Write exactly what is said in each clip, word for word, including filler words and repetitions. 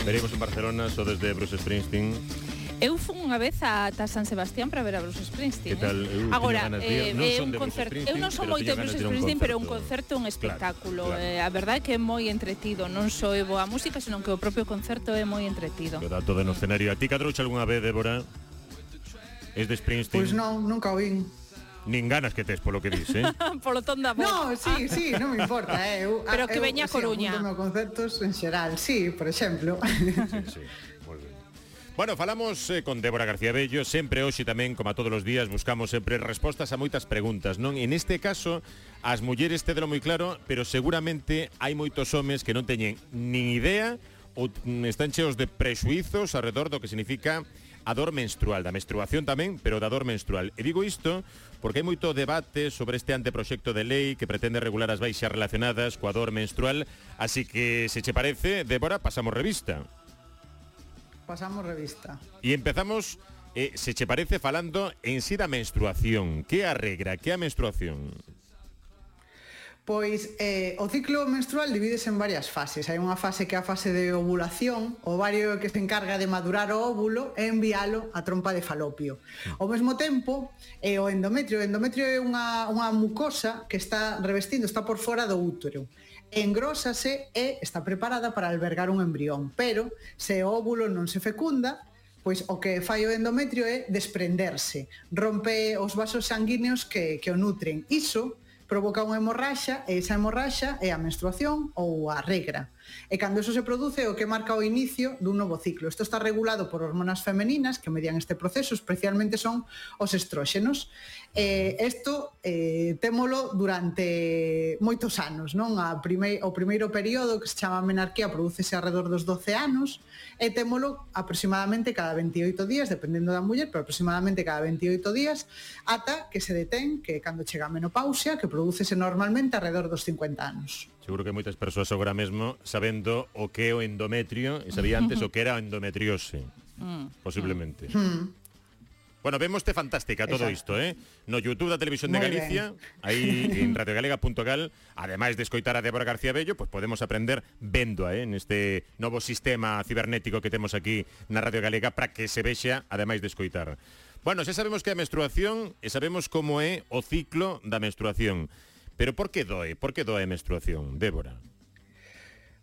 Veremos en Barcelona, so desde Bruce Springsteen. Eu fun unha vez ata San Sebastián para ver a Bruce Springsteen. Que tal? Eh? Agora, eh, non é son un de concerto. Bruce Eu non son moito de Bruce Springsteen, pero un concerto é un espectáculo. Claro, claro. Eh, a verdade é que é moi entretido. Non só é boa música, senón que o propio concerto é moi entretido. Queda todo no escenario. A ti cadrouche algunha vez, Débora? Es de Springsteen? Pois pues non, nunca o vin. Nin ganas que tes polo que dis, eh? Polo ton da voz. No, sí, sí, non me importa, eh. Eu, Pero que eu, veña a Coruña. Sí, apunto concertos en xeral, sí, por exemplo. Sí, sí, moi ben. Bueno, falamos eh, con Débora García Bello. Sempre hoxe tamén, como a todos os días, buscamos sempre respostas a moitas preguntas, non? En este caso, as mulleres tédelo moi claro, pero seguramente hai moitos homes que non teñen nin idea ou están cheos de prexuizos alrededor do que significa a dor menstrual, da menstruación tamén, pero da dor menstrual. E digo isto porque hai moito debate sobre este anteproxecto de lei que pretende regular as baixas relacionadas coa dor menstrual, así que, se che parece, Débora, pasamos revista. Pasamos revista. E empezamos, eh, se che parece, falando en sí da menstruación. Que a regra, que a menstruación? Pois eh, o ciclo menstrual divídese en varias fases. Hai unha fase que é a fase de ovulación, o ovario que se encarga de madurar o óvulo e envialo á trompa de falopio. Ao mesmo tempo, eh, o endometrio, o endometrio é unha, unha mucosa que está revestindo, está por fora do útero. Engrósase e está preparada para albergar un embrión, pero se o óvulo non se fecunda, pois o que fai o endometrio é desprenderse, rompe os vasos sanguíneos que, que o nutren. Iso provoca unha hemorraxa, e esa hemorraxa é a menstruación ou a regra. E cando eso se produce, o que marca o inicio dun novo ciclo. Isto está regulado por hormonas femeninas que median este proceso, especialmente son os estróxenos. Eh, isto eh, témolo durante moitos anos, non? A prime, o primeiro período, que se chama menarquía, prodúcese alrededor dos doce anos, e témolo aproximadamente cada veintioito días, dependendo da muller, pero aproximadamente cada veintioito días, ata que se detén, que cando chega a menopausia, que prodúcese normalmente alrededor dos cincuenta anos. Seguro que moitas persoas agora mesmo sabendo o que é o endometrio e sabía antes o que era a endometriose, posiblemente. Mm. Bueno, vémoste fantástica todo isto, eh? No YouTube da Televisión de Galicia, aí en radio galega punto gal, ademais de escoitar a Débora García Bello, pues podemos aprender véndoa, eh, neste novo sistema cibernético que temos aquí na Radio Galega para que se vexa, ademais de escoitar. Bueno, xa sabemos que é a menstruación e sabemos como é o ciclo da menstruación. Pero por que doe? Por que doe a menstruación, Débora?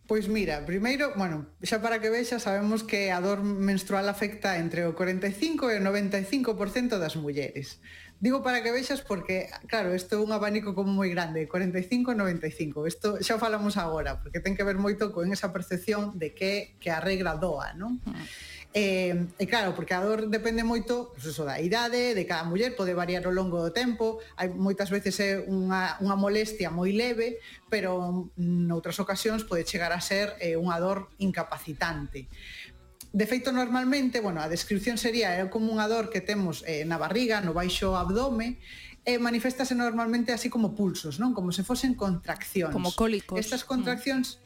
Pois mira, primeiro, bueno, xa para que vexa, sabemos que a dor menstrual afecta entre o cuarenta e cinco e o noventa e cinco por cento das mulleres. Digo para que vexas porque, claro, isto é un abanico como moi grande, cuarenta e cinco e noventa e cinco. Isto xa o falamos agora, porque ten que ver moito con esa percepción de que, que a regra doa, non? E, e claro, porque a dor depende moito, pues eso, da idade, de cada muller, pode variar ao longo do tempo, hai moitas veces é unha, unha molestia moi leve, pero noutras ocasións pode chegar a ser eh, unha dor incapacitante. De feito, normalmente, bueno, a descripción sería é como unha dor que temos eh, na barriga, no baixo abdome, e maniféstase normalmente así como pulsos, non? Como se fosen contraccións. Como cólicos. Estas contraccións...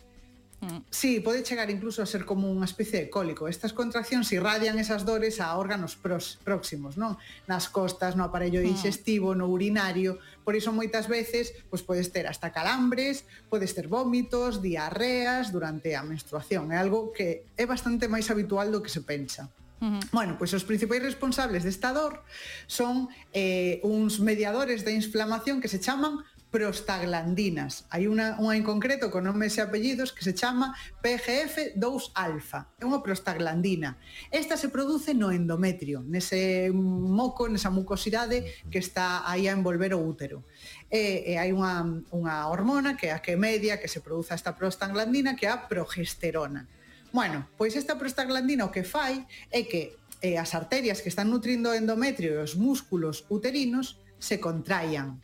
Mm. Sí, pode chegar incluso a ser como unha especie de cólico. Estas contraccións irradian esas dores a órganos pros, próximos, non? Nas costas, no aparello digestivo, no urinario. Por iso moitas veces pois podes ter hasta calambres, podes ter vómitos, diarreas durante a menstruación. É algo que é bastante máis habitual do que se pensa. Uh-huh. Bueno, pois os principais responsables desta dor son eh, uns mediadores de inflamación que se chaman prostaglandinas. Hai unha, unha en concreto con nomes e apellidos que se chama P G F dous alfa. É unha prostaglandina. Esta se produce no endometrio, nese moco, nesa mucosidade que está aí a envolver o útero. E, e hai unha, unha hormona que é a que media que se produza esta prostaglandina, que é a progesterona. Bueno, pois esta prostaglandina o que fai é que eh, as arterias que están nutrindo o endometrio e os músculos uterinos se contraian.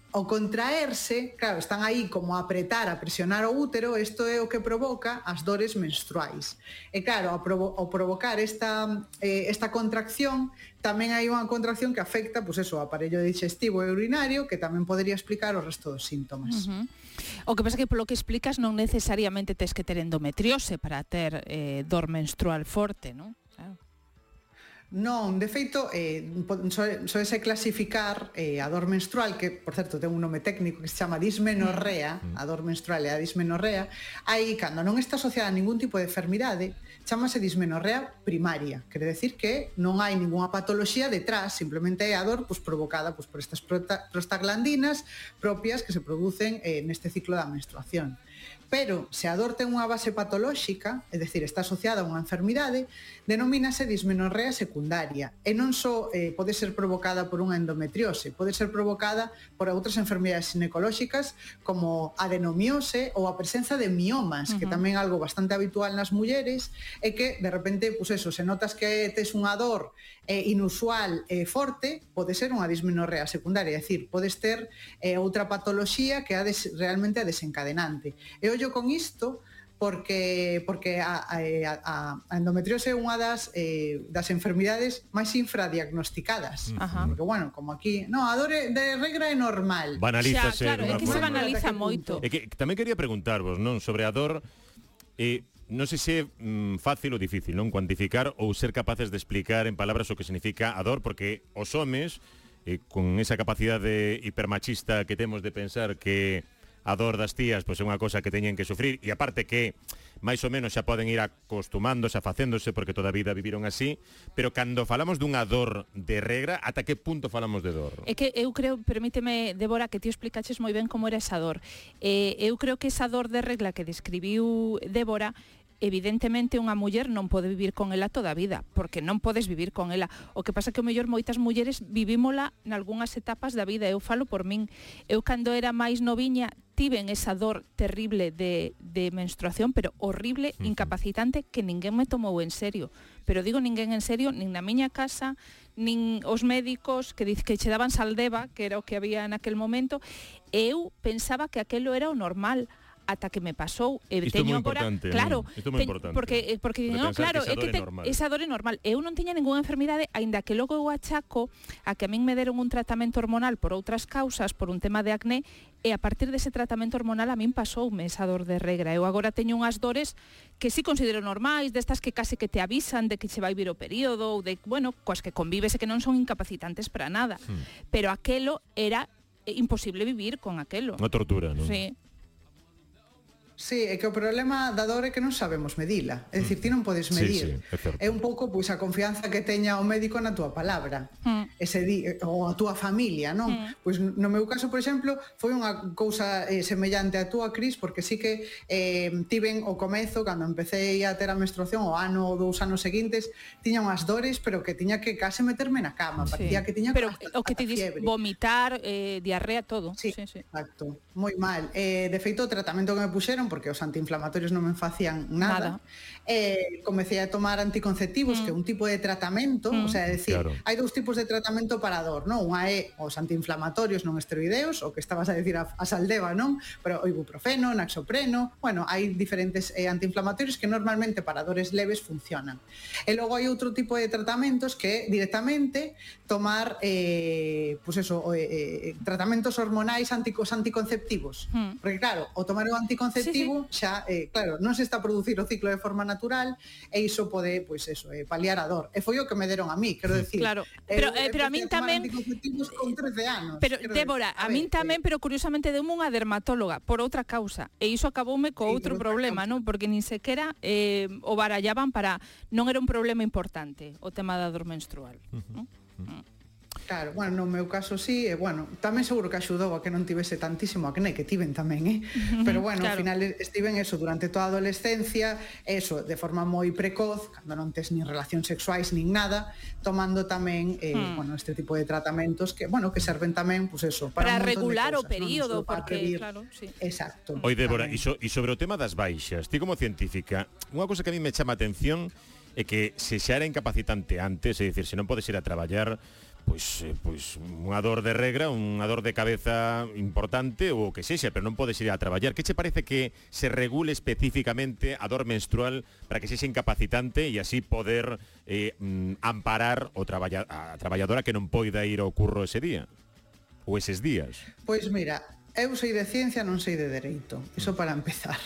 Ao contraerse, claro, están aí como a apretar, a presionar o útero, isto é o que provoca as dores menstruais. E claro, ao, provo- ao provocar esta, eh, esta contracción, tamén hai unha contracción que afecta, pois eso, o aparello digestivo e urinario, que tamén podría explicar o resto dos síntomas. Uh-huh. O que pasa é que polo que explicas non necesariamente tes que ter endometriose para ter eh, dor menstrual forte, non? Claro. Non, de feito, eh, soese clasificar eh, a dor menstrual, que, por certo, ten un nome técnico que se chama dismenorrea, a dor menstrual é a dismenorrea, aí, cando non está asociada a ningún tipo de enfermidade, chamase dismenorrea primaria, quere decir que non hai ninguna patoloxía detrás, simplemente é a dor pues, provocada pues, por estas prostaglandinas propias que se producen eh, neste ciclo da menstruación. Pero se a dor ten unha base patolóxica, é dicir, está asociada a unha enfermidade, denomínase dismenorrea secundaria e non só eh, pode ser provocada por unha endometriose, pode ser provocada por outras enfermidades ginecolóxicas como adenomiose ou a presenza de miomas, uh-huh. que tamén é algo bastante habitual nas mulleres, e que de repente, pues eso, se notas que tes unha dor eh, inusual e eh, forte, pode ser unha dismenorrea secundaria, é dicir, podes ter eh, outra patoloxía que é des, realmente a desencadenante. E ollo con isto porque porque a, a, a endometriose é unha das eh, das enfermidades máis infradiagnosticadas. Ajá. Porque bueno, como aquí, no, a dor de regra é normal. Banalízase. Xa, claro, é que se banaliza moito. É que tamén quería preguntarvos, non, sobre a dor, eh, non sei se é mm, fácil ou difícil, non, cuantificar ou ser capaces de explicar en palabras o que significa a dor, porque os homes eh, con esa capacidade hipermachista que temos de pensar que a dor das tías pois é unha cosa que teñen que sufrir, e aparte que máis ou menos xa poden ir acostumándose, afacéndose, porque toda a vida viviron así, pero cando falamos dunha dor de regra, ata que punto falamos de dor? É que eu creo, permíteme, Débora, que ti explicaches moi ben como era esa dor. Eh, eu creo que esa dor de regla que describiu Débora, evidentemente unha muller non pode vivir con ela toda a vida, porque non podes vivir con ela. O que pasa que o mellor moitas mulleres vivímola nalgúnas etapas da vida. Eu falo por min. Eu cando era máis noviña tiven esa dor terrible de, de menstruación, pero horrible, incapacitante, que ninguén me tomou en serio. Pero digo ninguén en serio, nin na miña casa, nin os médicos que diz que che daban saldeva, que era o que había naquel momento. Eu pensaba que aquelo era o normal, ata que me pasou. E isto teño é moi agora, importante, claro, isto é moi te, importante. Porque porque no, claro, é que te, esa dor é normal. Eu non tiña ningunha enfermidade, aínda que logo eu achaco a que a min me deron un tratamento hormonal por outras causas, por un tema de acné, e a partir dese tratamento hormonal a min pasoume esa dor de regra. Eu agora teño unhas dores que sí considero normais, destas que case que te avisan de que che vai vir o período, ou de, bueno, coas que convives e que non son incapacitantes para nada. Hmm. Pero aquelo era imposible vivir con aquelo. Unha tortura, non? Sí. Sí, é que o problema da dor é que non sabemos medila. É dicir, ti non podes medir. Sí, sí, é, é un pouco pois a confianza que teña o médico na túa palabra. Mm. Ese di, ou a túa familia, non? Mm. Pois no meu caso, por exemplo, foi unha cousa eh, semellante a túa, Cris, porque sí que eh, tiven o comezo, cando empecé a ter a menstruación, o ano ou dous anos seguintes, tiña unhas dores, pero que tiña que case meterme na cama. Sí. Parecía que tiña pero hasta, o que te dis, vomitar, eh, diarrea, todo. Sí, sí, sí. Exacto. Moi mal. Eh, de feito, o tratamento que me puxeron, porque os antiinflamatorios non me facían nada, nada. Eh, comecei a tomar anticonceptivos, mm. que é un tipo de tratamento, mm. o sea, é dicir, claro. hai dous tipos de tratamento para a dor, non? Unha é os antiinflamatorios non esteroideos, o que estabas a decir a, a saldeva, non? Pero o ibuprofeno, naxopreno, bueno, hai diferentes eh, antiinflamatorios que normalmente para dores leves funcionan. E logo hai outro tipo de tratamentos que directamente tomar eh, pues eso, eh, tratamentos hormonais anticos anticonceptivos. Mm. Porque claro, o tomar o anticonceptivo sí, sí. xa, eh, claro, non se está a producir o ciclo de forma natural e iso pode, pois eso, eh, paliar a dor. E foi o que me deron a mí, quero decir. Claro, pero, eh, pero a min tamén con trece anos. Pero Débora, a, a min tamén, pero curiosamente deu unha dermatóloga por outra causa, e iso acaboume co sí, outro problema, non? Porque nin sequera eh, o barallaban para non era un problema importante o tema da dor menstrual, uh-huh. non? Uh-huh. Claro, bueno, no meu caso sí, e bueno, tamén seguro que axudou a que non tivese tantísimo acné, que tiven tamén, eh? Pero bueno, claro. Ao final estiven eso durante toda a adolescencia, eso, de forma moi precoz, cando non tes nin relacións sexuais nin nada, tomando tamén, eh, hmm. bueno, este tipo de tratamentos que, bueno, que serven tamén, pues eso, para, para regular cosas, o período, ¿no? Porque, previr. Claro, sí. Exacto. Oi, Débora, e so, sobre o tema das baixas, ti como científica, unha cosa que a mí me chama a atención é que se xa era incapacitante antes, é dicir, se non podes ir a traballar, pois, eh, pois unha dor de regra, unha dor de cabeza importante ou o que sexa, pero non podes ir a traballar. Que che parece que se regule especificamente a dor menstrual para que sexa incapacitante e así poder eh, amparar o traballa, a traballadora que non poida ir ao curro ese día ou eses días? Pois mira, eu sei de ciencia, non sei de dereito. Iso para empezar.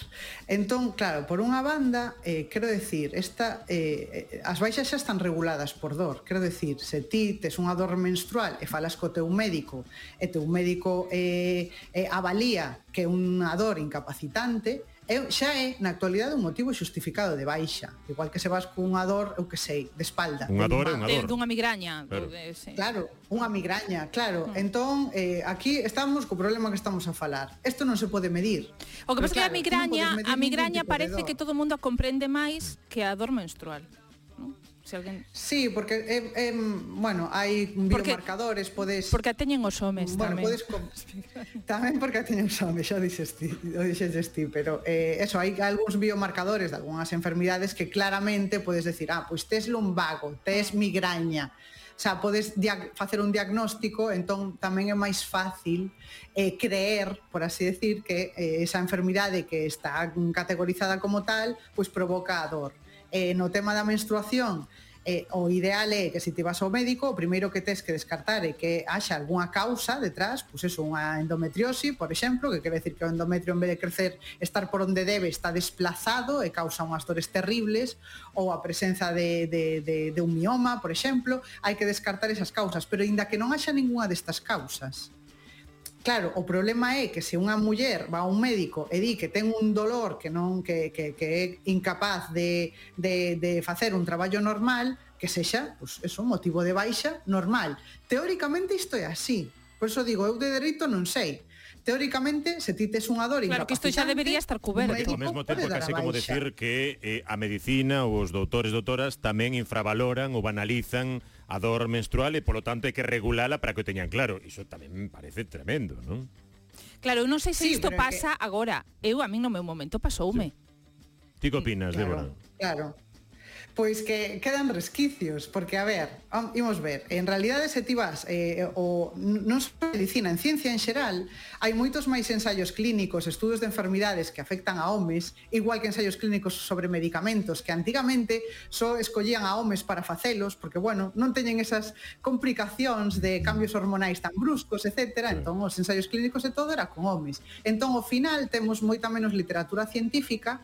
Entón, claro, por unha banda, eh, quero decir, esta, eh, as baixas xa están reguladas por dor. Quero decir, se ti tes unha dor menstrual e falas co teu médico e teu médico eh, eh, avalía que é unha dor incapacitante, é, xa é, na actualidade, un motivo xustificado de baixa. Igual que se vas con unha dor, eu que sei, de espalda. Unha dor é unha dor. Dunha migraña. Claro, de, sí. Claro, unha migraña, claro. Mm. Entón, eh, aquí estamos co problema que estamos a falar. Isto non se pode medir. O que pasa é que a migraña, no a migraña parece que todo o mundo a comprende máis que a dor menstrual. ¿No? Se alguén... Sí, porque eh, eh, bueno, hai biomarcadores, podes... Porque a teñen os homes bueno, tamén. Podes... tamén porque a teñen os homes, xa dixes ti, dixes ti, pero eh, eso, hai algúns biomarcadores de algunhas enfermidades que claramente podes decir, ah, pois tes lumbago, tes migraña, o sea, podes facer un diagnóstico, entón tamén é máis fácil eh, creer, por así decir, que eh, esa enfermidade que está categorizada como tal, pois provoca a dor. Eh, no tema da menstruación, eh, o ideal é que se ti vas ao médico, o primeiro que tes que descartar é que haxa algunha causa detrás, pois eso, unha endometriosi, por exemplo, que quere decir que o endometrio en vez de crecer, estar por onde debe, está desplazado e causa unhas dores terribles, ou a presenza de, de, de, de un mioma, por exemplo, hai que descartar esas causas, pero aínda que non haxa ninguna destas causas, claro, o problema é que se unha muller va a un médico e di que ten un dolor que non que, que, que é incapaz de, de, de facer un traballo normal, que sexa, pues, eso, motivo de baixa normal. Teóricamente isto é así. Por eso digo, eu de dereito non sei. Teóricamente, se ti tes unha dor incapacitante... Claro, que isto xa debería estar cuberto. Ao mesmo tempo, casi como decir que eh, a medicina ou os doutores e doutoras tamén infravaloran ou banalizan a dor menstrual e, polo tanto, hai que regulala para que o teñan claro. Iso tamén me parece tremendo, non? Claro, eu non sei se sí, isto pasa que... agora. Eu, a min no meu momento pasoume. Sí. Ti que opinas, claro, Débora? Claro. Pois que quedan resquicios, porque, a ver, imos ver, en realidade se ti vas, eh, o, non só en medicina, en ciencia en xeral, hai moitos máis ensaios clínicos, estudos de enfermidades que afectan a homes, igual que ensaios clínicos sobre medicamentos, que antigamente só escollían a homes para facelos, porque, bueno, non teñen esas complicacións de cambios hormonais tan bruscos, etcétera, entón os ensaios clínicos e todo era con homes. Entón, ao final, temos moita menos literatura científica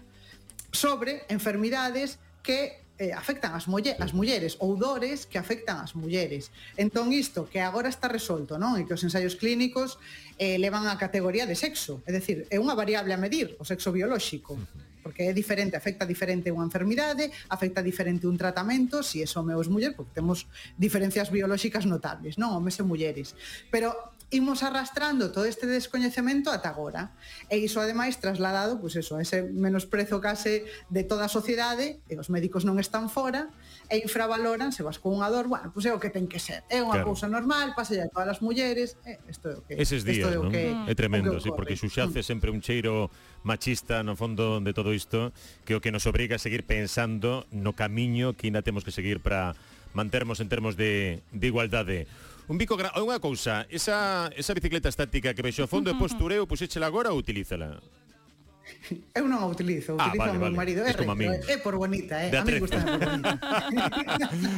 sobre enfermidades que eh, afectan as, mulle as mulleres ou dores que afectan as mulleres. Entón isto que agora está resolto, non? E que os ensaios clínicos eh, levan a categoría de sexo, é dicir, é unha variable a medir, o sexo biolóxico, porque é diferente, afecta diferente unha enfermidade, afecta diferente un tratamento, si é home ou é muller, porque temos diferencias biolóxicas notables, non? Homes e mulleres. Pero imos arrastrando todo este descoñecemento ata agora. E iso, ademais, trasladado, pois eso, a ese menosprezo case de toda a sociedade, e os médicos non están fora, e infravaloran, se vas con unha dor, bueno, pois é o que ten que ser. É unha claro. cousa normal, pasa a todas as mulleres, é, isto é o que... Eses días, é non? Que, é tremendo, sí, porque xuxace mm. sempre un cheiro machista no fondo de todo isto, que o que nos obriga a seguir pensando no camiño que ainda temos que seguir para mantermos en termos de, de igualdade. Un bico gra... unha cousa, esa, esa bicicleta estática que vexo a fondo, uh -huh. é postureo, pois échela agora ou utilízala? Eu non a utilizo, ah, utilizo vale, o meu vale. marido. É, é, é por bonita, eh? A mí gusta por bonita.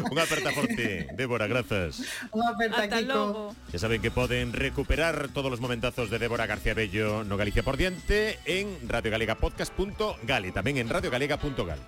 Unha aperta forte, Débora, grazas. Unha aperta, Hasta Kiko. logo. Ya saben que poden recuperar todos os momentazos de Débora García Bello no Galicia por Diante en radiogalegapodcast punto gal e tamén en radiogalega punto gal.